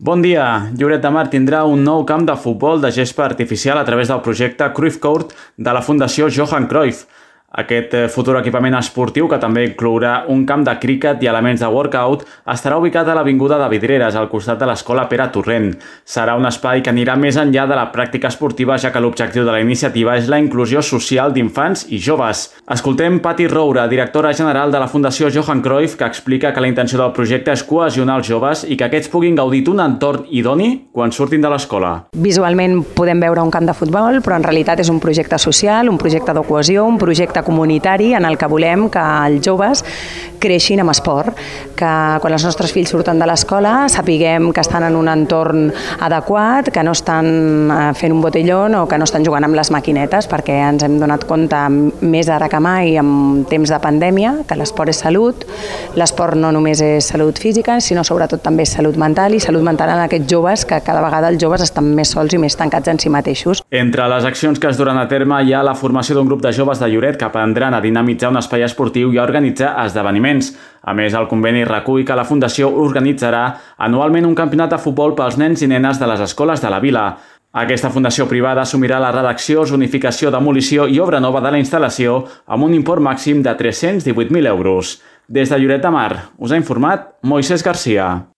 Bon dia! Lloret de Mar tindrà un nou camp de futbol de gespa artificial a través del projecte Cruyff Court de la Fundació Johan Cruyff. Aquest futur equipament esportiu, que també inclourà un camp de críquet i elements de workout, estarà ubicat a l'Avinguda de Vidreres, al costat de l'Escola Pere Torrent. Serà un espai que anirà més enllà de la pràctica esportiva, ja que l'objectiu de la iniciativa és la inclusió social d'infants i joves. Escoltem Patti Roura, directora general de la Fundació Johan Cruyff, que explica que la intenció del projecte és cohesionar els joves i que aquests puguin gaudir d'un entorn idoni quan surtin de l'escola. Visualment podem veure un camp de futbol, però en realitat és un projecte social, un projecte de cohesió, un projecte comunitari en el que volem que els joves creixin amb esport, que quan els nostres fills surten de l'escola sapiguem que estan en un entorn adequat, que no estan fent un botellón o que no estan jugant amb les maquinetes, perquè ens hem donat compte més ara que mai en temps de pandèmia que l'esport és salut, l'esport no només és salut física, sinó sobretot també és salut mental, i salut mental en aquests joves, que cada vegada els joves estan més sols i més tancats en si mateixos. Entre les accions que es duran a terme hi ha la formació d'un grup de joves de Lloret que aprendran a dinamitzar un espai esportiu i a organitzar esdeveniments. A més, el conveni recull que la Fundació organitzarà anualment un campionat de futbol pels nens i nenes de les escoles de la vila. Aquesta fundació privada assumirà la redacció, zonificació, demolició i obra nova de la instal·lació amb un import màxim de 318.000 euros. Des de Lloret de Mar, us ha informat Moisés Garcia.